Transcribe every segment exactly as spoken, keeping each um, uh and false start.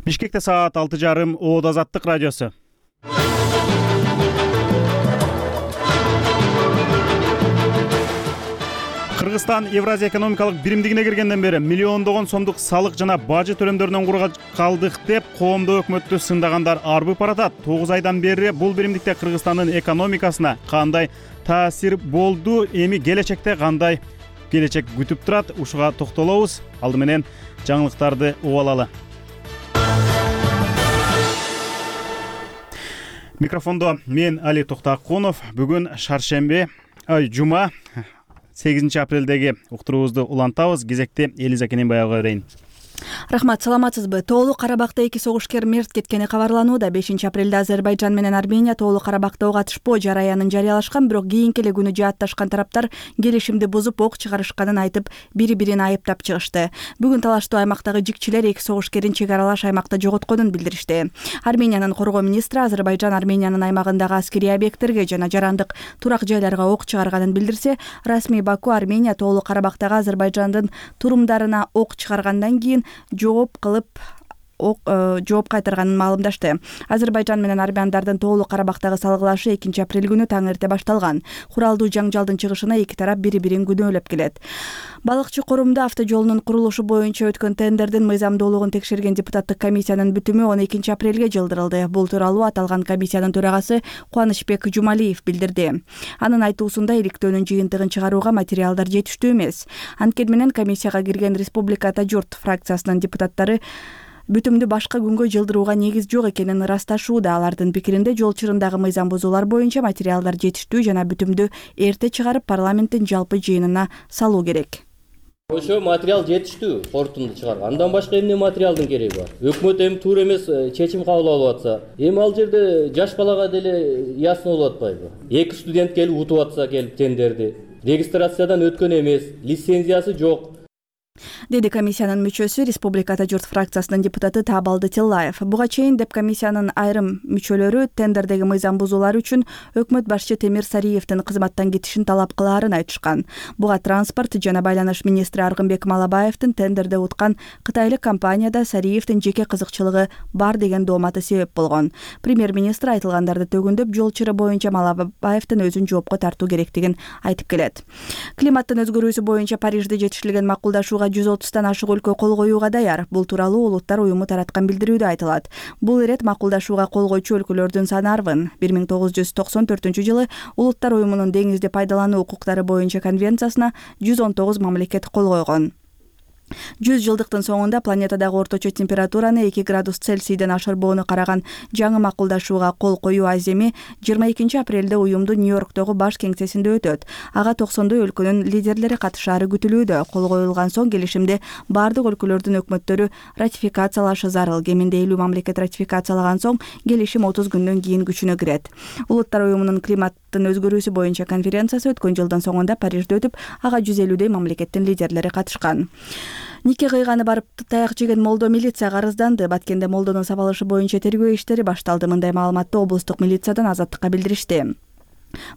Бишкекте саат алты жарым. Оод Азаттык радиосу. Кыргызстан Евразия экономикалык биримдигине киргенден бери миллиондогон сомдук салык жана бажы төлөмдөрүнөн куруга калдык деп коомдо өкмөттү сындагандар арбып баратат. тогуз айдан бери бул биримдикте Кыргызстандын экономикасына кандай таасир болду, эми келечекте кандай келечек күтүп турат, ушуга токтолобуз. Алды менен жаңылыктарды угуп алалы. Микрофондо мен Али Токтакунов. Бүгүн шаршемби, ай жума, сегизинчи апрелдеги уктуруубузду улантабыз. Кезекти Элиза Кененбаевага берейин. Рахмат, саламатсызбы? Тоолуу Карабакта эки согушкер мерт кеткени кабарланууда. бешинчи апрелде Азербайжан менен Армения Тоолуу Карабакта ок атышпоо жараянын жарыялашкан, бирок кийинки эле күнү жаатташкан тараптар келишимди бузуп ок чыгарышканын айтып, бири-бирин айыптап чыгышты. Бүгүн талаштуу аймактагы жикчилер эки согушкерин чек аралаш аймакта жоготконун билдиришти. Армениянын коргоо министри Азербайжан Армениянын аймагындагы аскерий объекттерге жана жарандык турак жайларга ок чыгарганын билдирсе, расмий Баку Армения Тоолуу Карабактагы Азербайжандын турумдарына ок чыгаргандан кийин жооп кылып жооп кайтарганын маалымдашты. Азербайжан менен армяндардын Тоолуу Карабактагы салгылашы экинчи апрель күнү таң эрте башталган. Куралдуу жаңжалдын чыгышына эки тарап бири-бирин күнөөлөп келет. Балыкчы Корумда автожолунун курулушу боюнча өткөн тендердин мыйзамдуулугун текшерген депутаттык комиссиянын бүтүмү он экинчи апрелге жылдырылды. Бул тууралуу аталган комиссиянын төрагасы Кубанычбек Жумалиев билдирди. Анын айтуусунда иликтөөнүн жыйынтыгын чыгарууга материалдар жетиштүү эмес. Анткени менен комиссияга кирген Республиката журт фракциясынын депутаттары бүтүмдү башка күнгө жылдырууга негиз жок экенин ырасташууда. Алардын пикиринде жол чырындагы мыйзам бузуулар боюнча материалдар жетиштүү жана бүтүмдү эрте чыгарып парламенттин жалпы жыйынына салуу керек. Ошо материал жетиштүү, корутунду чыгарган. Андан башка эмне материалдын кереги бар? Өкмөт эми туура эмес чечим кабыл алып атса, эми ал жерде жаш балага деле ясно болуп атпайбы? Эки студент келип утуп атса, келип тендерди, регистрациядан өткөн эмес, лицензиясы жок, деди комиссиянын мүчөсү, Республиката журт фракциясынын депутаты Табалды Тиллаев. Буга чейин деп комиссиянын айрым мүчөлөрү тендердеги мыйзам бузуулар үчүн өкмөт башчы Темир Сариевдин кызматтан кетишин талап кылаарын айтышкан. Буга транспорт жана байланыш министри Аргынбек Малабаевдин тендерде уткан кытайлык компанияда Сариевдин жеке кызыкчылыгы бар деген дооматы себеп болгон. Премьер-министр айтылгандарды төгүндөп, жол чыры боюнча Малабаевдин өзүн жоопко тартуу керектигин айтып келет. Климаттын өзгөрүүсү боюнча Парижде жетишилген макулдашууга жүз отуздан ашык өлкө кол коюуга даяр. Бул тууралуу Улуттар уюму тараткан билдирүүдө айтылат. Бул ирет макулдашууга кол койчу өлкөлөрдүн саны арбын. бир миң тогуз жүз токсон төртүнчү жылы Улуттар уюмунун деңизди пайдалануу укуктары боюнча конвенциясына жүз он тогуз мамлекет кол койгон. жүз жылдыктын соңунда планетадагы орточо температураны эки градус Цельсийден ашырбоону караган жаңы макулдашууга кол коюу аземи жыйырма экинчи апрелде уюмдун Нью-Йорктогу баш кеңсесинде өтөт. Ага токсондой өлкөнүн лидерлери катышаары күтүлүүдө. Кол коюлган соң келишимди бардык өлкөлөрдүн өкмөттөрү ратификациялашы зарыл. Кеминде элүү мамлекет ратификациялаган соң келишим отуз күндөн кийин күчүнө кирет. Улуттар уюмунун климаттын өзгөрүүсү боюнча конференциясы өткөн жылдын соңунда Парижде өтүп, ага жүз элүүдөй мамлекеттин лидерлери катышкан. Нике кыйганы барып таяк жеген молдо милицияга арызданды. Баткенде молдонун сабалышы боюнча тергөө иштери башталды. Мындай маалыматты облустук милициядан Азаттыкка билдиришти.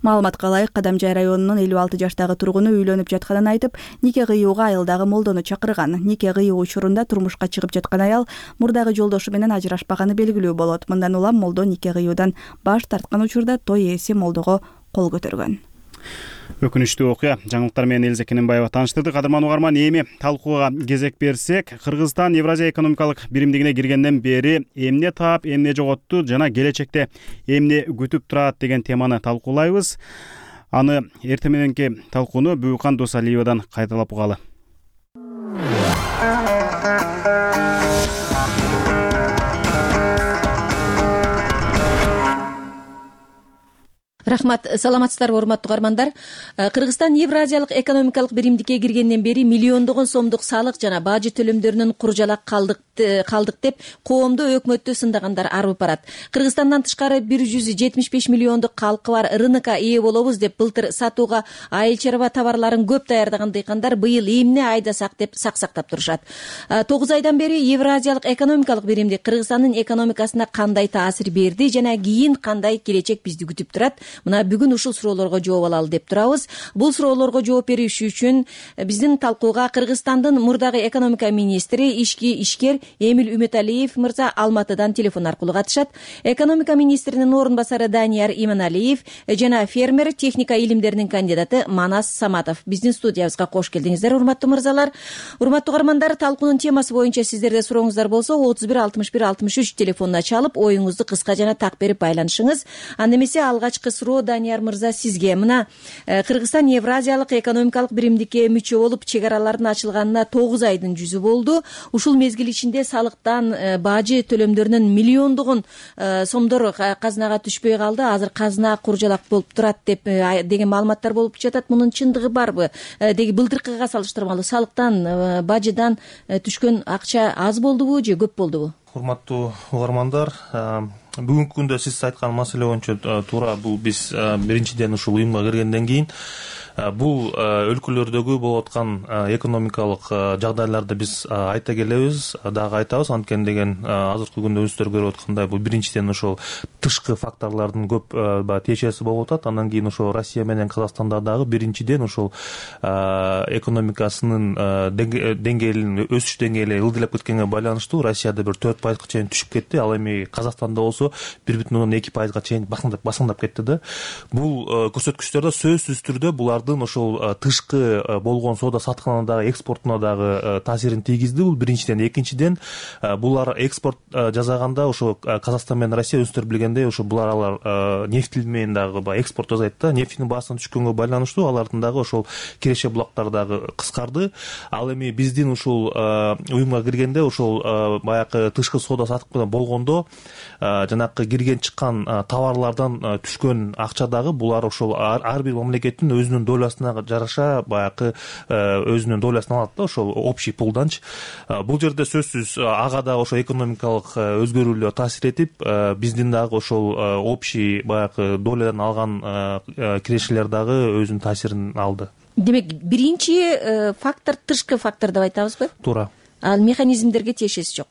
Маалыматка ылайык, Кадамжай районунун элүү алты жаштагы тургуну үйлөнүп жатканын айтып, нике кыюуга айылдагы молдону чакырган. Нике кыюу учурунда турмушка чыгып жаткан аял мурдагы жолдошу менен ажырашпаганы белгилүү болот. Мындан улам молдо нике кыюудан баш тарткан учурда той ээси молдого кол көтөргөн. Өкүнүчтүү окуя. Жаңылыктар менен Элиза Кененбаева тааныштырды. Кадырман угарман, эми талкууга кезек берсек, Кыргызстан Евразия экономикалык биримдигине киргенден бери эмне таап, эмне жоготту жана келечекте эмне күтүп турат деген теманы талкуулайбыз. Аны эртең мененки талкууну Бүкан Досалиевадан кайталап угалы. Рахмат, саламатсыздарбы урматтуу угармандар. Кыргызстан Евразиялык экономикалык биримдикке киргенден бери миллиондогон сомдук салык жана бажы төлөмдөрүнөн куржалак калдык калдык деп коомдо өкмөттү сындагандар арбып барат. Кыргызстандан тышкары бир жүз жетимиш беш миллиондук калкы бар рынокко ээ болобуз деп былтыр сатууга айыл чарба товарларын көп даярдаган дыйкандар быйыл эмне айдасак деп саксактап турушат. тогуз айдан бери Евразиялык экономикалык биримдик Кыргызстандын экономикасына кандай таасир берди жана кийин кандай келечек бизди күтүп турат? мына бүгүн ушул суроолорго жооп алалы деп турабыз. Бул суроолорго жооп бериш үчүн биздин талкууга Кыргызстандын мурдагы экономика министри, ички ишкер Эмиль Үмөталиев мырза Алматыдан телефон аркылуу катышат. Экономика министринин орун басары Данияр Иманалиев жана фермер, техника илимдеринин кандидаты Манас Саматов биздин студиябызга кош келдиңиздер, урматтуу мырзалар. Урматтуу угармандар, талкуунун темасы боюнча сиздерде сурооңуздар болсо отуз бир алтымыш бир алтымыш үч телефонуна чалып, оюңузду кыска жана так берип байланышыңыз. Анда эмесе алгачкы суроо Данияр мырза сизге. Мына Кыргызстан Евразиялык экономикалык биримдикке мүчө болуп, чек аралардын ачылганына тогуз айдын жүзү болду. Ушул мезгил ичинде салыктан, бажы төлөмдөрүнөн миллиондогон сомдор казынага түшпөй калды. Азыр казына куржалак болуп турат деп деген маалыматтар болуп жатат. Мунун чындыгы барбы? Деги былтыркыга салыштырмалуу салыктан, бажыдан түшкөн акча аз болдубу же көп болдубу? Урматтуу угармандар, бүгүнкү күндө сиз айткан маселе боюнча туура, бул биз биринчиден ушул уюмга киргенден кийин бул өлкөлөрдөгү болуп аткан экономикалык жагдайларды биз айта келебиз, дагы айтабыз. Анткени деген азыркы күндө өзүңүздөр көрүп аткандай, бул биринчиден ошол тышкы факторлордун көп тиешеси болуп атат. Андан кийин ошол Россия менен Казакстанда дагы биринчиден ошол экономикасынын деңгээлин, өсүш деңгээли ылдыйлап кеткенге байланыштуу Россияда бир төрт пайызга чейин түшүп кетти. Ал эми Казакстанда болсо бир бүтүн ондон эки пайызга чейин басыңдап кетти да. Бул көрсөткүчтөрдө сөзсүз түрдө булар ошол тышкы болгон соода саткына дагы, экспортуна дагы таасирин тийгизди. Бул биринчиден. Экинчиден, булар экспорт жасаганда ошо Казакстан менен Россия өзүңүздөр билгендей, ошо булар алар нефть менен дагы экспорт жасайт да. Нефтинин баасынын түшкөнгө байланыштуу алардын дагы ошол киреше булактар дагы кыскарды. Ал эми биздин ушул уюмга киргенде ошол баягы тышкы соода сатык менен болгондо жанакы кирген чыккан товарлардан түшкөн акча дагы булар ошол ар бир мамлекеттин өзүнүн долясына жараша баягы өзүнүн долясын алат да, ошол общий пулданчы. Бул жерде сөзсүз ага да ошо экономикалык өзгөрүүлөр таасир этип, биздин дагы ошол общий баягы долядан алган кирешелер дагы өзүнүн таасирин алды. Демек, биринчи фактор тышкы фактор деп айтабызбы? Туура. Ал механизмдерге тиешеси жок.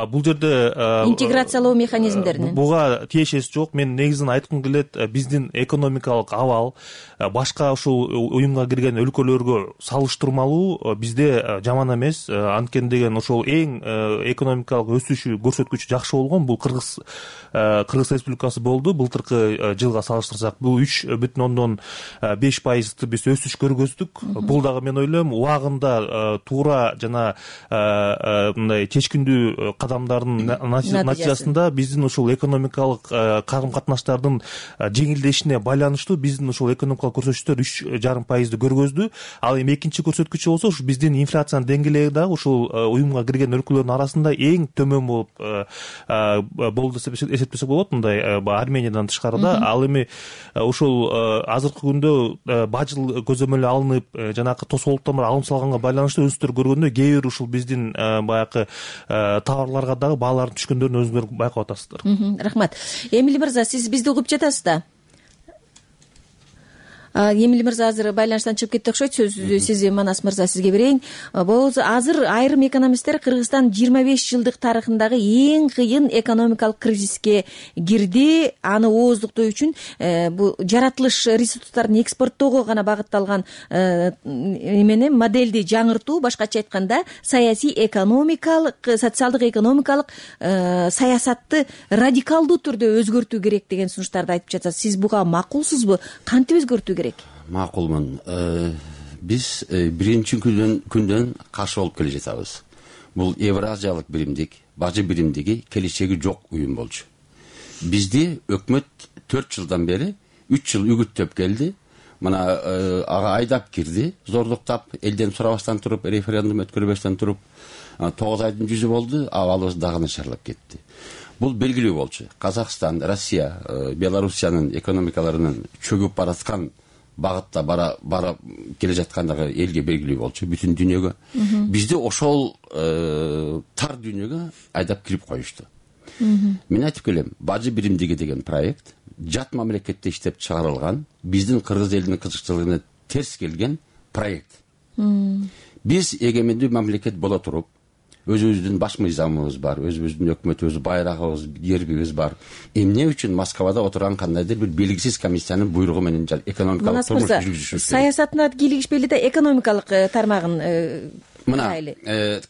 Бул жерде интеграциялоо механизмдеринин буга тиешеси жок. Мен негизин айткым келет, биздин экономикалык абал башка ушул уюмга кирген өлкөлөргө салыштырмалуу бизде жаман эмес. Анткени деген ошол эң экономикалык өсүшү көрсөткүчү жакшы болгон бул Кыргыз Кыргыз Республикасы болду. Былтыркы жылга салыштырсак бул үч бүтүн ондон беш пайызды биз өсүш көргөздүк. Бул дагы мен ойлойм убагында туура жана мындай чечкиндүү кадамдардын натыйжасында биздин ушул экономикалык карым катнаштардын жеңилдешине байланыштуу биздин ушул экономикалык көрсөткүчтөр үч жарым пайызды көргөздү. Ал эми экинчи көрсөткүчү болсо ушу биздин инфляциянын деңгээли дагы ушул уюмга кирген өлкөлөрдүн арасында эң төмөн болуп болду деп эсептесек болот. Мындай Армениядан тышкарыда. Ал эми ушул азыркы күндө бажыл көзөмөлү алынып, жанагы тосолуктан алым салганга байланыштуу өзүңүздөр көргөндөй кээ бир ушул биздин баягы товарларга дагы баалардын түшкөндөрүн өзүңүздөр байкап атасыздар. Рахмат. Эмиль мырза, сиз бизди угуп жатасыз да? Эмиль мырза азыр байланыштан чыгып кетти окшойт. Сөздү сиз, Манас мырза, сизге берейин. Болсо азыр айрым экономисттер Кыргызстан жыйырма беш жылдык тарыхындагы эң кыйын экономикалык кризиске кирди. Аны ооздуктоо үчүн бул жаратылыш ресурстарын экспорттоого гана багытталган эмени модельди жаңыртуу, башкача айтканда саясий экономикалык, социалдык экономикалык саясатты радикалдуу түрдө өзгөртүү керек деген сунуштарды айтып жатасыз. Сиз буга макулсузбу? Кантип өзгөртүү керек? Макулмун. Биз биринчи күндөн каршы болуп келе жатабыз. Бул Евразиялык биримдик, бажы биримдиги келечеги жок уюм болчу. Бизди өкмөт төрт жылдан бери үч жыл үгүттөп келди. Мына ага айдап кирди, зордуктап, элден сурабастан туруп, референдум өткөрбөстөн туруп, тогуз айдын жүзү болду, абалыбыз дагы начарлап кетти. Бул белгилүү болчу. Казакстан, Россия, Белоруссиянын экономикаларынын чөгүп бараткан багытта бара бара келе жаткандыгы элге белгилүү болчу, бүтүн дүйнөгө. Бизди ошол тар дүйнөгө айдап кирип коюшту. Мен айтып келем, бажы биримдиги деген проект жат мамлекетте иштеп чыгарылган, биздин кыргыз элинин кызыкчылыгына терс келген проект. Биз эгемендүү мамлекет боло туруп, өзүбүздүн баш мыйзамыбыз бар, өзүбүздүн өкмөтүбүз, байрагыбыз, гербибиз бар. Эмне үчүн Москвада отурган кандайдыр бир белгисиз комиссиянын буйругу менен экономикалык турмуш жүргүзүшүбүз керек? Саясатына кийлигишпейли да экономикалык тармагын мына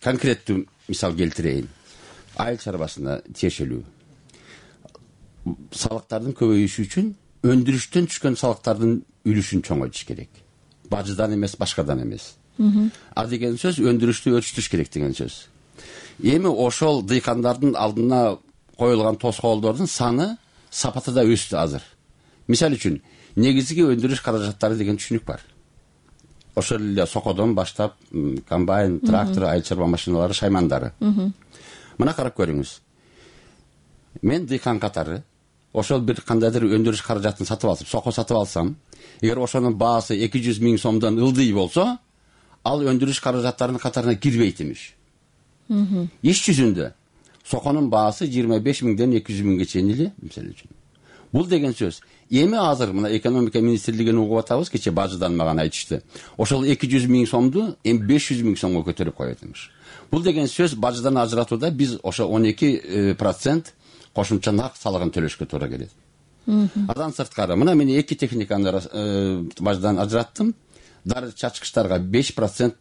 конкреттүү мисал келтирейин. Айыл чарбасына тиешелүү салыктардын көбөйүшү үчүн өндүрүштөн түшкөн салыктардын үлүшүн чоңойтуш керек. Бажыдан эмес, башкадан эмес. А деген сөз өндүрүштү өрчүтүш керек деген сөз. Эми ошол дыйкандардын алдына коюлган тоскоолдордун саны, сапаты да өстү азыр. Мисалы үчүн, негизги өндүрүш каражаттары деген түшүнүк бар. Ошол эле сокодон баштап комбайн, трактор, айыл чарба машиналары, шаймандары. Мына карап көрүңүз. Мен дыйкан катары ошол бир кандайдыр өндүрүш каражатын сатып алсам, соко сатып алсам, эгер ошонун баасы эки жүз миң сомдон ылдый болсо, ал өндүрүш каражаттарынын катарына кирбейт имиш. Иш жүзүндө соконун баасы жыйырма беш миңден эки жүз миңге чейин эле, мисалы үчүн. Бул деген сөз. Эми азыр мына экономика министрлигин угуп атабыз, кече бажыдан мага айтышты. Ошол эки жүз миң сомду эми беш жүз миң сомго көтөрүп коет имиш. Бул деген сөз бажыдан ажыратууда биз ошо он эки процент кошумча нак салыгын төлөшкө туура келет. Адан сырткары мына мен эки техниканы бажыдан ажыраттым. Дары чачкычтарга беш процент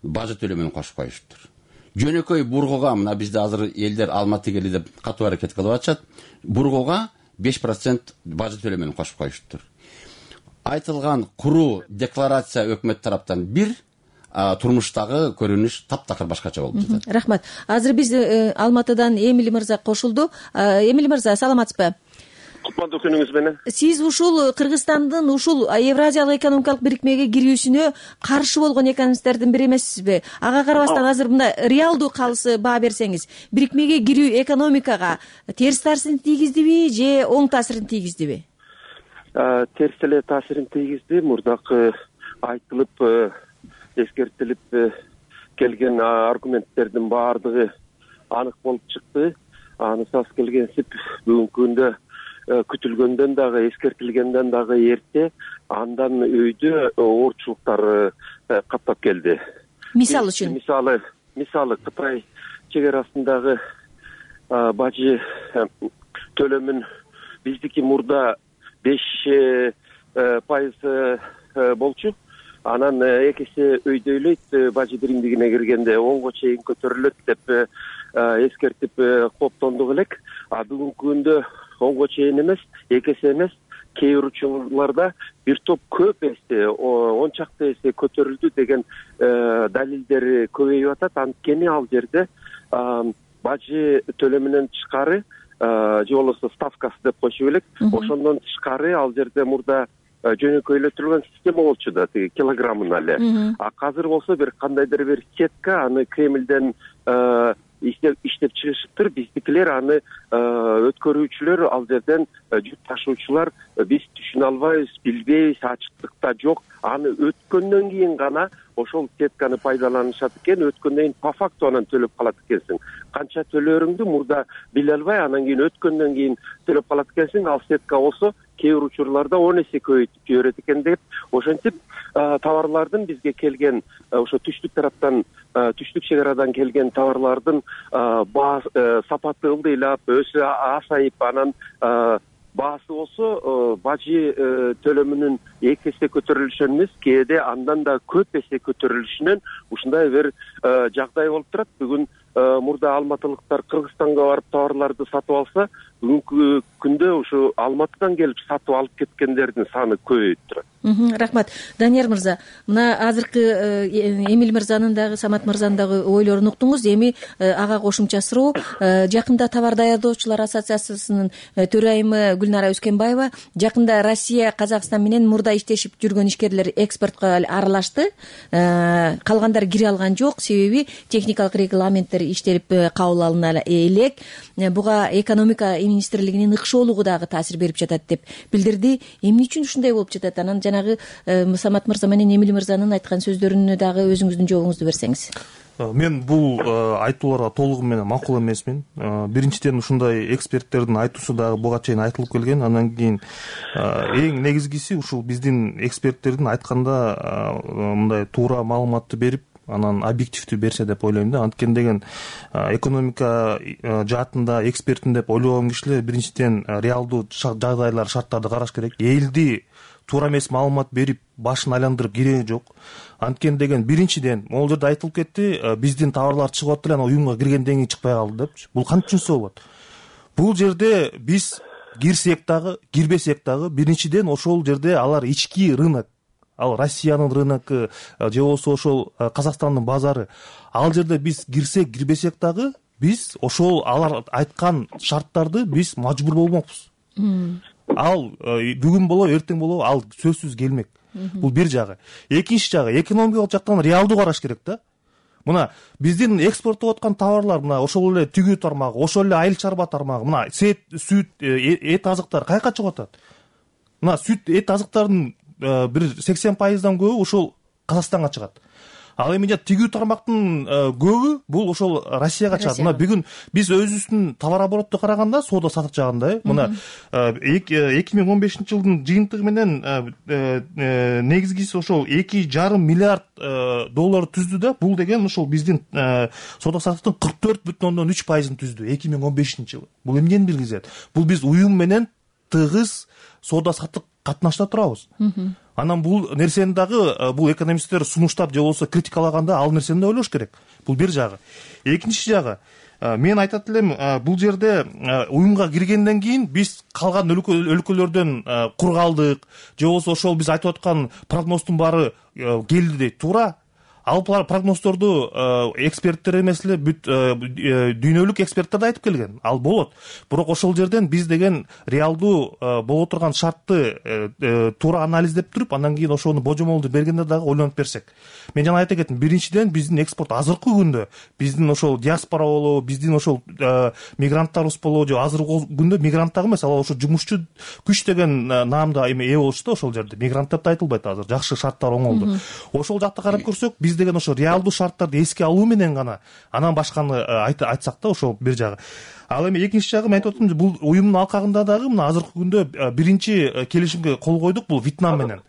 бажы төлөмүн кошуп коюшуптур. Жөнөкөй бургуга мына бизде азыр элдер Алматы кели деп катуу аракет кылып атышат. Бургуга беш процент бажы төлөмүн кошуп коюшуптур. Айтылган куруу декларация өкмөт тараптан бир, турмуштагы көрүнүш таптакыр башкача болуп жатат. Рахмат. Азыр биз Алматыдан Эмиль мырза кошулду. Эмиль мырза, саламатсызбы? Кутмандуу күнүңүз менен. Сиз ушул Кыргызстандын ушул Евразиялык экономикалык бирикмеге кирүүсүнө каршы болгон экономисттердин бири эмессизби? Ага карабастан азыр мында реалдуу калысы баа берсеңиз, бирикмеге кирүү экономикага терс таасирин тийгиздиби же оң таасирин тийгиздиби? Терс эле таасирин тийгизди. Мурдакы айтылып, эскертилип келген аргументтердин баардыгы анык болуп чыкты. Анысыз келгенсип бүгүнкү күндө күтүлгөндөн дагы, эскертилгенден дагы эрте андан өйдө оорчулуктар каптап келди. Мисалы үчүн? Мисалы, мисалы Кытай чек арасындагы бажы төлөмүн биздики мурда беш пайыз болчу. Анан эки эсе өйдөйлөйт, бажы биримдигине киргенде онго чейин көтөрүлөт деп эскертип коптондук элек. А бүгүнкү күндө онго чейин эмес, эки эсе эмес, кээ бир учурларда бир топ көп эсе, он чакты эсе көтөрүлдү деген далилдер көбөйүп атат. Анткени ал жерде бажы төлөмүнөн тышкары, же болбосо ставкасы деп койчу элек, ошондон тышкары ал жерде мурда жөнөкөйлөтүлгөн система болчу да, тиги килограммына эле. А азыр болсо бир кандайдыр бир сетка аны Кремлден иштеп иштеп чыгышыптыр. Биздикилер аны өткөрүүчүлөр, ал жерден жүк ташуучулар биз түшүнө албайбыз, билбейбиз, ачыктыкта жок. Аны өткөндөн кийин гана ошол сетканы пайдаланышат экен, өткөндөн кийин по факту анан төлөп калат экенсиң. Канча төлөөрүңдү мурда биле албай, анан кийин өткөндөн кийин төлөп калат экенсиң. Ал сетка болсо кээ бир учурларда он эсе көбөйтүп жиберет экен деп, ошентип товарлардын бизге келген, ошо түштүк тараптан, түштүк чек арадан келген товарлардын сапаты ылдыйлап, өсү асайып, анан баасы болсо бажы төлөмүнүн эки эсе көтөрүлүшүнөн эмес, кээде андан да көп эсе көтөрүлүшүнөн ушундай бир жагдай болуп турат. Бүгүн мурда алматылыктар Кыргызстанга барып товарларды сатып алса, бүгүнкү күндө ушу Алматыдан келип сатып алып кеткендердин саны көбөйүп турат. Рахмат. Данияр мырза, мына азыркы Эмиль мырзанын дагы, Самат мырзанын дагы ойлорун уктуңуз. Эми ага кошумча суроо, жакында товар даярдоочулар ассоциациясынын төрайымы Гүлнара Өскенбаева жакында Россия, Казакстан менен мурда иштешип жүргөн ишкерлер экспортко аралашты. Калгандары кире алган жок, себеби техникалык регламенттер иштелип кабыл алына элек. Буга экономика министрлигинин ыкшоолугу дагы таасир берип жатат деп билдирди. Эмне үчүн ушундай болуп жатат? Анан жанагы Самат мырза менен Эмиль мырзанын айткан сөздөрүнө дагы өзүңүздүн жообуңузду берсеңиз. Мен бул айтууларга толугу менен макул эмесмин. Биринчиден ушундай эксперттердин айтуусу дагы буга чейин айтылып келген. Андан кийин эң негизгиси ушул биздин эксперттердин айтканда мындай туура маалыматты берип, анан объективдүү берсе деп ойлойм да. Анткени деген экономика жаатында экспертин деп ойлогон кишилер биринчиден реалдуу жагдайлар, шарттарды караш керек. Элди туура эмес маалымат берип башын айландырып кереги жок. Анткени деген биринчиден могул жерде айтылып кетти, биздин товарлар чыгып атты эле, анан уюмга киргенден кийин чыкпай калды депчи. Бул кантчынсы болот? Бул жерде биз кирсек дагы, кирбесек дагы биринчиден ошол жерде алар ички рынок, ал Россиянын рыноку же болбосо ошол Казакстандын базары. Ал жерде биз кирсек, кирбесек дагы биз ошол алар айткан шарттарды биз мажбур болмокпуз. Ал бүгүн болобу, эртең болобу, ал сөзсүз келмек. Бул бир жагы. Экинчи жагы, экономикалык жактан реалдуу караш керек да. Мына биздин экспорттоп аткан товарлар, мына ошол эле тигүү тармагы, ошол эле айыл чарба тармагы, мына сет, сүт, эт азыктар каяка чыгып атат? Мына сүт, эт азыктардын бир сексен пайыздан көбү ошол Казакстанга чыгат. Ал эми тигүү тармактын көбү бул ошол Россияга чыгат. Мына бүгүн биз өзүбүздүн товар оборотто караганда, соода сатык жагында, мына эки миң он бешинчи жылдын жыйынтыгы менен негизгиси ошол эки жарым миллиард доллар түздү да. Бул деген ошол биздин соода сатыктын кырк төрт бүтүн ондон үч пайызын түздү эки миң он бешинчи жылы. Бул эмнени билгизет? Бул биз уюм менен тыгыз соода сатык катнашта турабыз. Анан бул нерсени дагы бул экономисттер сунуштап же болбосо критикалаганда ал нерсени да ойлош керек. Бул бир жагы. Экинчи жагы, мен айтат элем, бул жерде уюмга киргенден кийин биз калган өлкөлөрдөн кур калдык, же болбосо ошол биз айтып аткан прогноздун баары келди дейт. Туура. Ал прогноздорду эксперттер эмес эле бүт дүйнөлүк эксперттер да айтып келген. Ал болот. Бирок ошол жерден биз деген реалдуу боло турган шартты туура анализдеп туруп, андан кийин ошону божомолду бергенде дагы ойлонуп берсек. Мен жана айта кеттим, биринчиден биздин экспорт азыркы күндө, биздин ошол диаспора болобу, биздин ошол мигранттарыбыз болобу, же азыркы күндө мигрант дагы эмес, ал ошо жумушчу күч деген наамда эме ээ болушту ошол жерде. Мигрант деп да айтылбайт азыр. Жакшы шарттар оңолду. Ошол жакта карап көрсөк, биз деген ошо реалдуу шарттарды эске алуу менен гана анан башканы айтсак да, ошол бир жагы. Ал эми экинчи жагы, мен айтып атам, бул уюмдун алкагында дагы мына азыркы күндө биринчи келишимге кол койдук, бул Вьетнам менен.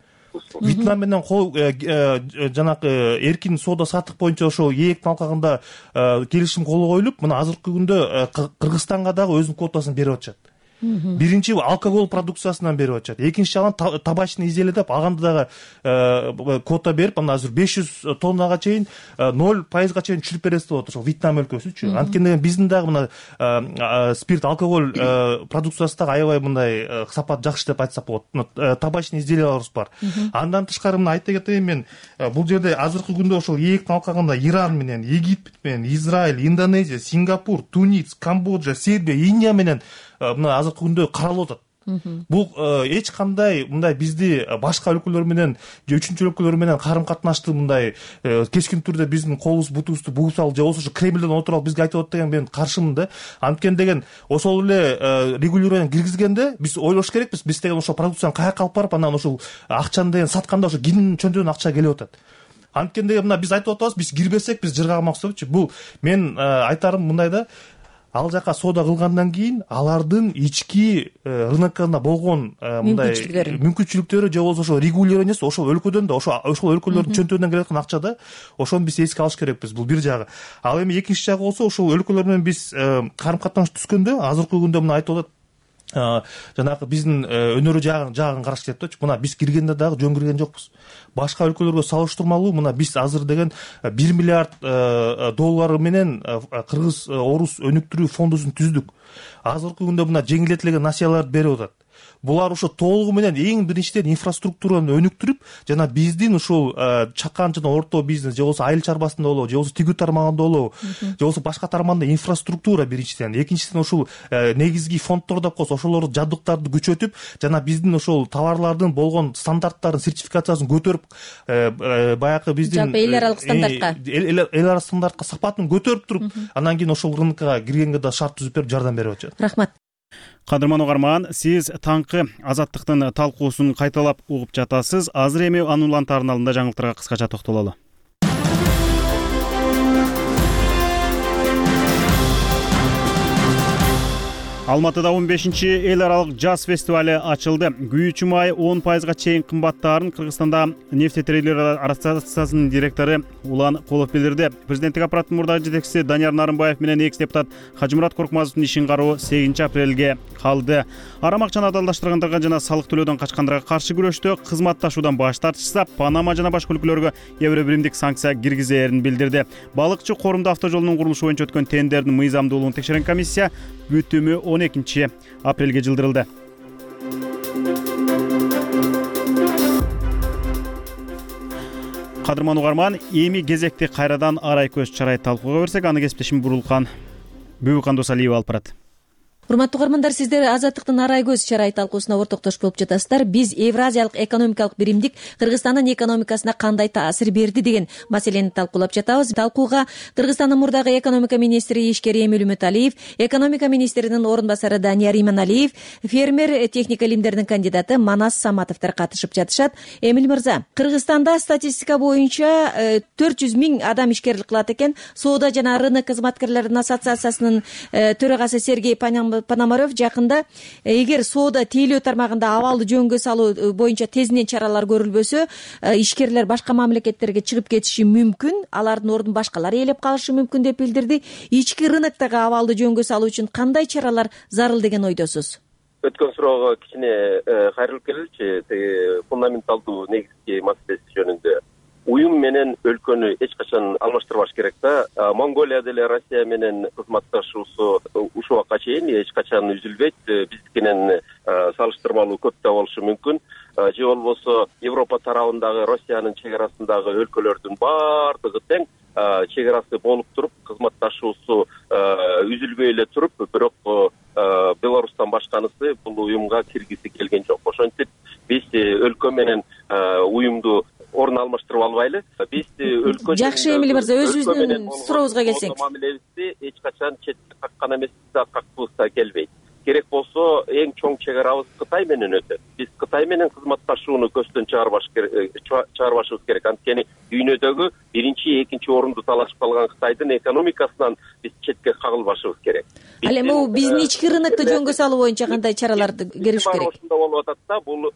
Вьетнам менен кол жанагы эркин соода сатык боюнча ошол ээктин алкагында келишим кол коюлуп, мына азыркы күндө Кыргызстанга дагы өзүнүн квотасын берип атышат. Биринчи алкоголь продукциясынан берип атышат. Экинчи жагынан табачный изделие деп аганда дагы квота берип, анан азыр беш жүз тоннага чейин ноль пайызга чейин түшүрүп бересиз деп атат ошол Вьетнам өлкөсүчү. Анткени биздин дагы мына спирт, алкоголь продукциясы дагы аябай мындай сапат жакшы деп айтсак болот. Табачный изделияларыбыз бар. Андан тышкары мына айта кетейин мен, бул жерде азыркы күндө ошол ээктин алкагында Иран менен, Египет менен, Израиль, Индонезия, Сингапур, Тунис, Камбоджа, Сербия, Индия менен мына азыркы күндө каралып атат. Бул эч кандай мындай бизди башка өлкөлөр менен же үчүнчү өлкөлөр менен карым катнашты мындай кескин түрдө биздин колубуз бутубузду бугуп салып, же болбосо Кремлден отуруп бизге айтып атат деген мен каршымын да. Анткени деген ошол эле регулирование киргизгенде биз ойлош керекпиз, биз деген ошол продукцияны каяка алып барып, анан ошол акчаны деген сатканда ошо кимдин чөнтөгүнө акча келип атат. Анткени деген мына биз айтып атабыз, биз кирбесек биз жыргамакчы депчи. Бул мен айтарым мындай да, ал жака соода кылгандан кийин алардын ички рынокунда болгон мындай мүмкүнчүлүктөрү же болбосо ошол регулированиясы ошол өлкөдөн да, ошол ошол өлкөлөрдүн чөнтөгүнөн келе аткан акча да, ошону биз эске алыш керекпиз. Бул бир жагы. Ал эми экинчи жагы болсо, ошол өлкөлөр менен биз карым катнаш түзгөндө азыркы күндө мына айтып атат, жанагы биздин өнөрү жагын жагын караш керек депчи. Мына биз киргенде дагы жөн кирген жокпуз. Башка өлкөлөргө салыштырмалуу мына биз азыр деген бир миллиард доллары менен кыргыз орус өнүктүрүү фондусун түздүк. Азыркы күндө мына жеңилдетилген насыяларды берип атат. Булар ошо толугу менен эң биринчиден инфраструктураны өнүктүрүп, жана биздин ушул чакан жана орто бизнес, же болбосо айыл чарбасында болобу, же болбосо тигүү тармагында болобу, же болбосо башка тармагында инфраструктура биринчиден, экинчиден ушул негизги фонддор деп коебуз, ошолорду жабдыктарды күчөтүп, жана биздин ошол товарлардын болгон стандарттарын, сертификациясын көтөрүп, баягы биздин жалпы эл аралык стандартка эл аралык стандартка сапатын көтөрүп туруп, анан кийин ошол рынокко киргенге да шарт түзүп берип жардам берип атышат. Рахмат. Кадырман угарман, сиз таңкы азаттыктын талкуусун кайталап угуп жатасыз. Азыр эми анын улан тарналында жаңылыктарга кыскача токтололу. Алматыда он бешинчи эл аралык жаз фестивали ачылды. Күйүүчү май он пайызга чейин кымбаттаарын Кыргызстанда нефтетрейдерлер ассоциациясынын директору Улан Колов билдирди. Президенттик аппараттын мурдагы жетекчиси Данияр Нарымбаев менен экс депутат Хажымурат Коркмазовдун ишин кароо сегизинчи апрелге калды. Арам акчаны адалдаштыргандарга жана салык төлөөдөн качкандарга каршы күрөштө кызматташуудан баш тартышса, Панама жана башка өлкөлөргө евро биримдик санкция киргизээрин билдирди. Балыкчы Корумду автожолунун курулушу боюнча өткөн тендердин мыйзамдуулугун текшерген комиссия бүтүмү он экинчи апрелге жылдырылды. Кадырман угарман, эми кезекти кайрадан арай көз чарай талкууга берсек, аны кесиптешим Бурулкан Бүүкан Досалиева алып барат. Урматтуу угармандар, сиздер Азаттыктын арай көз чарай талкуусуна ортоктош болуп жатасыздар. Биз Евразиялык экономикалык биримдик Кыргызстандын экономикасына кандай таасир берди деген маселени талкуулап жатабыз. Талкууга Кыргызстандын мурдагы экономика министри Ишкер Эмил Үмүталиев, экономика министринин орун басары Данияр Иманалиев, фермер техника илимдеринин кандидаты Манас Саматовдор катышып жатышат. Эмил мырза, Кыргызстанда статистика боюнча төрт жүз миң адам ишкерлик кылат экен. Соода жана рынок кызматкерлеринин ассоциациясынын төрагасы Сергей Пономарев жакында эгер соода тейлөө тармагында абалды жөнгө салуу боюнча тезинен чаралар көрүлбөсө, ишкерлер башка мамлекеттерге чыгып кетиши мүмкүн, алардын ордун башкалар ээлеп калышы мүмкүн деп билдирди. Ички рыноктогу абалды жөнгө салуу үчүн кандай чаралар зарыл деген ойдосуз? Өткөн суроого кичине кайрылып келеличи, теги фундаменталдуу негизги маселеси жөнүндө. Уюм менен өлкөнү эч качан алмаштырбаш керек да. Монголия деле Россия менен кызматташуусу ушул убакка чейин эч качан үзүлбөйт. Биздикинен салыштырмалуу көп да болушу мүмкүн. Же болбосо Европа тарабындагы Россиянын чек арасындагы өлкөлөрдүн баардыгы тең чек арасы болуп туруп, кызматташуусу үзүлбөй эле туруп, бирок Беларустан башканысы бул уюмга киргиси келген жок. Ошентип биз өлкө менен уюмду орун алмаштырып албайлы. Биз өлкө жакшы Эмил мырза, өзүбүздүн сурообузга келсек. Мамилебизди эч качан четке каккан эмес да, какпыз да келбейт. Керек болсо эң чоң чек арабыз Кытай менен өтөт. Биз Кытай менен кызматташууну көздөн чыгарбаш керек, чыгарбашыбыз керек. Анткени дүйнөдөгү биринчи, экинчи орунду талашып калган Кытайдын экономикасынан биз четке кагылбашыбыз керек. Ал эми бул биздин ички рынокто жөнгө салуу боюнча кандай чараларды көрүш керек? Ошондо болуп атат да, бул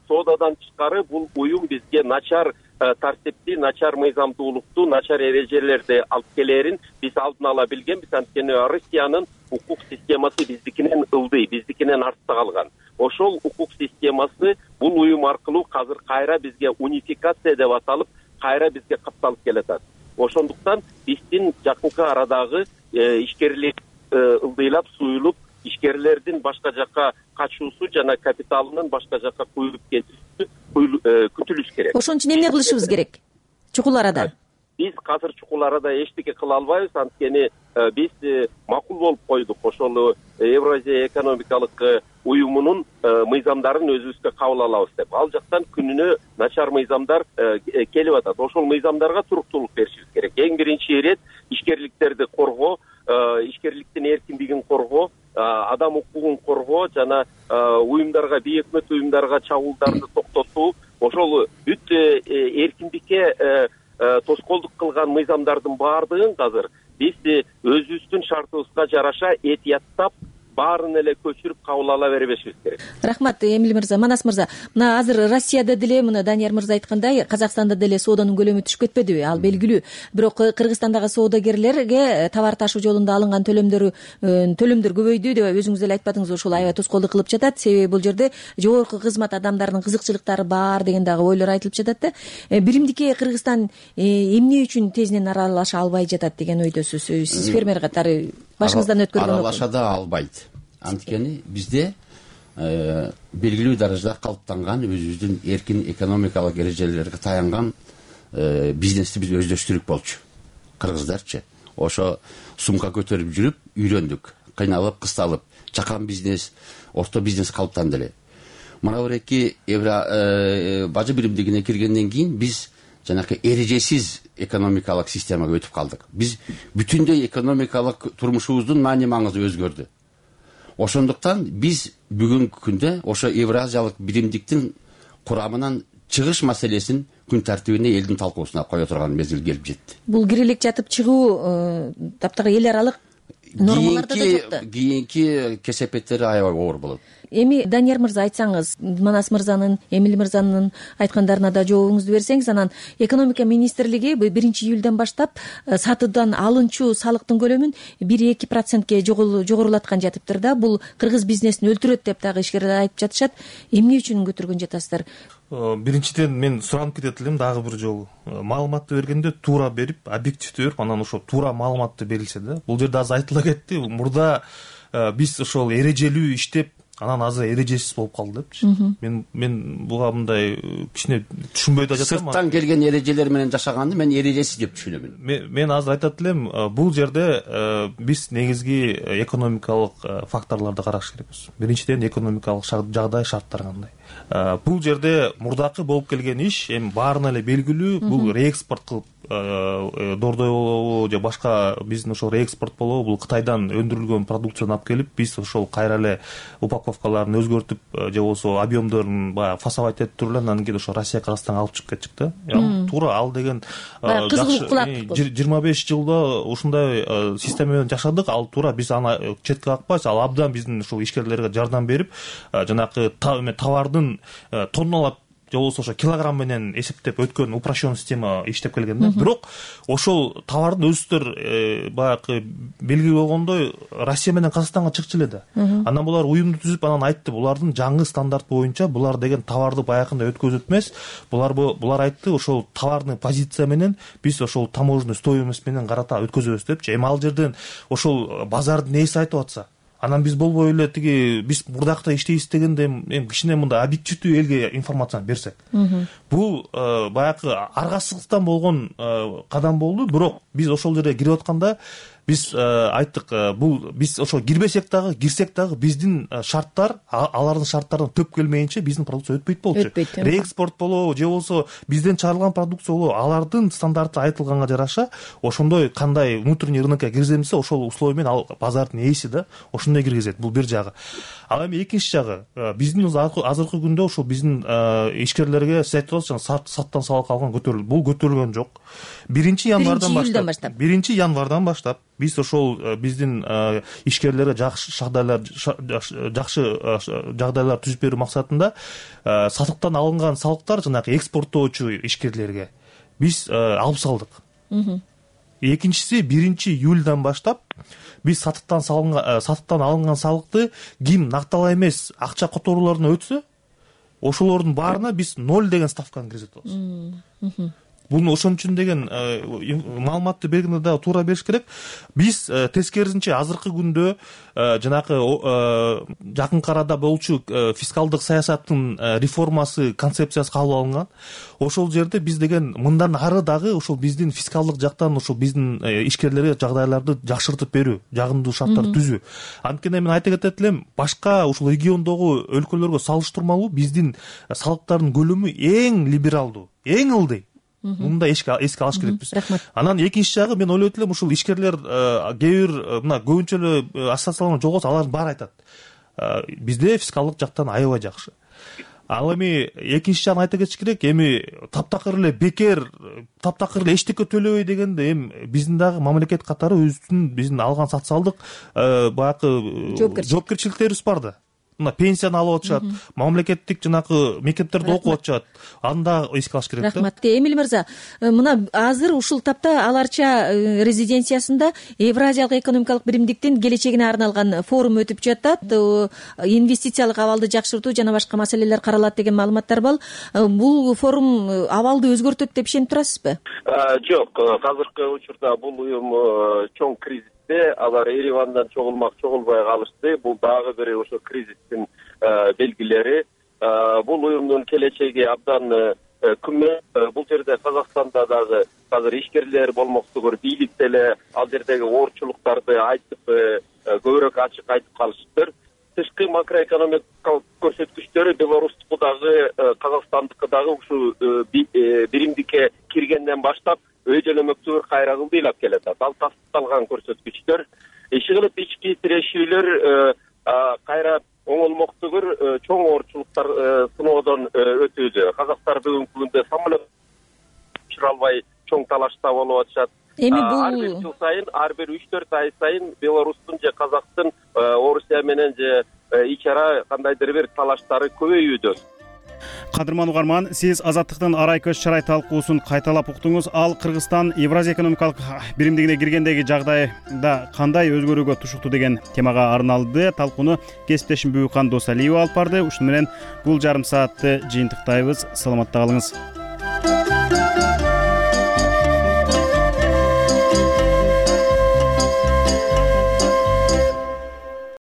соодадан тышкары бул уюм бизге начар тартипти, начар мыйзамдуулукту, начар эрежелерди алып келерин биз алдын ала билгенбиз. Анткени Россиянын укук системасы биздикинен ылдый, биздикинен артта калган. Ошол укук системасы бул уюм аркылуу азыр кайра бизге унификация деп аталып, кайра бизге катталып келатат. Ошондуктан биздин жакынкы арадагы ишкерлик ылдыйлап суюлуп, ишкерлердин башка жакка качуусу жана капиталынын башка жакка куюлуп кетүүсү күтүлүш керек. Ошон үчүн эмне кылышыбыз керек? Чукул арада. Биз азыр чукул арада эчтеке кыла албайбыз, анткени биз макул болуп койдук. Ошол Евразия экономикалык уюмунун мыйзамдарын өзүбүзгө кабыл алабыз деп. Ал жактан күнүнө начар мыйзамдар келип атат. Ошол мыйзамдарга туруктуулук беришибиз керек. Эң биринчи ирет ишкерликтерди коргоо, ишкерликтин эркиндигин коргоо, адам укугун коргоо жана уюмдарга, бейөкмөт уюмдарга чабуулдарды токтотуу, ошол бүт эркиндикке тоскоолдук кылган мыйзамдардын баардыгын азыр биз өзүбүздүн шартыбызга жараша этияттап баарын эле көчүрүп кабыл ала бербешибиз керек. Рахмат Эмил мырза. Манас мырза, мына азыр Россияда деле, мына Данияр мырза айткандай, Казакстанда деле сооданын көлөмү түшүп кетпедиби? Ал белгилүү. Бирок Кыргызстандагы соодагерлерге товар ташуу жолунда алынган төлөмдөр төлөмдөр көбөйдү деп өзүңүз деле айтпадыңызбы? Ушул аябай тоскоолдук кылып жатат. Себеби бул жерде жогорку кызмат адамдарынын кызыкчылыктары бар деген дагы ойлор айтылып жатат да. Биримдикке Кыргызстан эмне үчүн тезинен аралаша албай жатат деген ойдосуз? Сиз фермер катары башыңыздан өткөргөн аралаша да албайт. Анткени бизде белгилүү даражада калыптанган өзүбүздүн эркин экономикалык эрежелерге таянган бизнести биз өздөштүрүк болчу. Кыргыздарчы ошо сумка көтөрүп жүрүп үйрөндүк, кыйналып, кысталып, чакан бизнес, орто бизнес калыптанды эле. Мына бир эки евро бажы биримдигине киргенден кийин биз жанакы эрежесиз экономикалык системага өтүп калдык. Биз бүтүндөй экономикалык турмушубуздун маани маңызы өзгөрдү. Ошондуктан биз бүгүнкү күндө ошо евразиялык биримдиктин курамынан чыгыш маселесин күн тартибине элдин талкуусуна кое турган мезгил келип жетти. Бул кирийлик жатып чыгуу таптагы эл аралык нормаларда да жок да. Кийинки кесепеттери аябай оор болот. Эми Данияр мырза айтсаңыз, Манас мырзанын, Эмил мырзанын айткандарына да жообуңузду берсеңиз, анан экономика министрлиги биринчи июлдан баштап сатуудан алынчу салыктын көлөмүн бир эки процентке жогорулаткан жатыптыр да. Бул кыргыз бизнесин өлтүрөт деп дагы ишкерлер айтып жатышат. Эмне үчүн көтөргөн жатасыздар? Биринчиден мен суранып кетет элем дагы бир жолу. Маалыматты бергенде туура берип, объективдүү берип, анан ошо туура маалыматты берилсе да. Бул жерде азыр айтыла кетти. Мурда биз ошол эрежелүү иштеп, анан азыр эрежесиз болуп калды депчи. Мен мен буга мындай кичине түшүнбөй да жатам. Сырттан келген эрежелер менен жашаганды мен эрежесиз деп түшүнөмүн. Мен, мен азыр айтат элем, бул жерде биз негизги экономикалык факторлорду караш керекпиз. Биринчиден экономикалык жагдай, шарттар кандай. Бул жерде мурдакы болуп келген иш эми баарына эле белгилүү, бул реэкспорт кылып дордой болобу же башка биздин ошол реэкспорт болобу, бул Кытайдан өндүрүлгөн продукцияны алып келип, биз ошол кайра эле упаковкаларын өзгөртүп же болбосо объемдорун баягы фасовать этип туруп эле анан кийин ошо Россия Кыргызстанга алып чыгып кетчүк да. Туура ал деген жыйырма беш жылда ушундай система менен жашадык, ал туура, биз аны четке какпайбыз, ал абдан биздин ушул ишкерлерге жардам берип, жанагы товардын тонналап же болбосо ошо килограмм менен эсептеп өткөн упрощенный система иштеп келген да. Бирок ошол товардын өзүлөр баягы белгилүү болгондой Россия менен Казакстанга чыкчу эле да. Анан булар уюмду түзүп анан айтты, булардын жаңы стандарт боюнча булар деген товарды баягындай өткөзөт эмес. Булар булар айтты, ошол товарный позиция менен биз ошол таможенный стоимость менен карата өткөзөбүз депчи. Эми ал жерден ошол базардын ээси айтып атса, анан биз болбой эле тиги биз мурдакта иштейбиз дегенде эми кичине мындай объективдүү элге информацияны берсек. Бул баягы аргасыздыктан болгон кадам болду, бирок биз ошол жерге кирип атканда биз айттык, бул биз ошо кирбесек дагы, кирсек дагы биздин шарттар алардын шарттарынан төп келмейинче биздин продукция өтпөйт болчу. Реэкспорт болобу же болбосо бизден чыгарылган продукция болобу, алардын стандарты айтылганга жараша ошондой кандай внутренний рынокко киргиземсе, ошол условия менен ал базардын ээси да ошондой киргизет. Бул бир жагы. Ал эми экинчи жагы, биздин азыркы күндө ошол биздин ишкерлерге сиз айтып атасыз, саттан салык алган көтөрүлдү. Бул көтөрүлгөн жок. биринчи январдан баштап биринчи январдан баштап биз ошол биздин ишкерлерге жакшы жагдайлар жакшы жагдайлар түзүп берүү максатында сатыктан алынган салыктар жанагы экспорттоочу ишкерлерге биз алып салдык. Экинчиси биринчи июлдан баштап биз сатыктан салынган сатыктан алынган салыкты ким нактала эмес акча которууларына өтсө, ошолордун баарына биз ноль деген ставканы киргизет болобуз. Буну ошон үчүн деген маалыматты бергенде дагы туура бериш керек. Биз тескерисинче азыркы күндө жанагы жакынкы арада болчу фискалдык саясаттын реформасы концепциясы кабыл алынган. Ошол жерде биз деген мындан ары дагы ошол биздин фискалдык жактан ошол биздин ишкерлерге жагдайларды жакшыртып берүү, жагымдуу шарттар түзүү. Анткени мен айта кетет элем, башка ушул региондогу өлкөлөргө салыштырмалуу биздин салыктардын көлөмү эң либералдуу, эң ылдый. Мында эске алыш керекпиз. Анан экинчи жагы, мен ойлойт элем, ушул ишкерлер кээ бир мына көбүнчө эле ассоциацияланган жолгосо алардын баары айтат, бизде фискалдык жактан аябай жакшы. Ал эми экинчи жагын айта кетиш керек. Эми таптакыр эле бекер, таптакыр эле эчтеке төлөбөй дегенде эми биздин дагы мамлекет катары өзүбүздүн биздин алган социалдык баягы жоопкерчиликтерибиз бар да. Мына пенсияны алып атышат, мамлекеттик жанагы мектептерде окуп атышат. Аны да эске алыш керек да. Рахмат. Эмил мырза, мына азыр ушул тапта Аларча резиденциясында Евразиялык экономикалык биримдиктин келечегине арналган форум өтүп жатат. Инвестициялык абалды жакшыртуу жана башка маселелер каралат деген маалыматтар бар. Бул форум абалды өзгөртөт деп ишенип турасызбы? Жок, азыркы учурда бул уюм чоң кризис. Алар Еревандан чогулмак, чогулбай калышты. Бул дагы бир ошо кризистин белгилери. Бул уюмдун келечеги абдан күмөн. Бул жерде Казакстанда дагы азыр ишкерлер болмоктугу бийлик деле ал жердеги оорчулуктарды айтып, көбүрөөк ачык айтып калышыптыр. Тышкы макроэкономикалык көрсөткүчтөрү Беларустуку дагы, Казакстандыкы дагы ушул биримдикке киргенден баштап өй жөнөмөктүү кайра кылдыйлап келет. Ал тастыкталган көрсөткүчтөр. Иши кылып ички тирешүүлөр кайра оңолмоктугур чоң оорчулуктар сыноодон өтүүдө. Казактар бүгүнкү күндө самолет учура албай чоң талашта болуп атышат. эми ар бир бул жыл сайын ар бир үч төрт ай сайын Беларустун же Казактын Орусия менен же ич ара кандайдыр бир талаштары көбөйүүдө. Кадырман угарман, сиз Азаттыктын арай көз чарай талкуусун кайталап уктуңуз. Ал Кыргызстан Евразия экономикалык биримдигине киргендеги жагдайда кандай өзгөрүүгө тушукту деген темага арналды. Талкууну кесиптешим Бүкан Досалиева алып барды. Ушуну менен бул жарым саатты жыйынтыктайбыз. Саламатта калыңыз.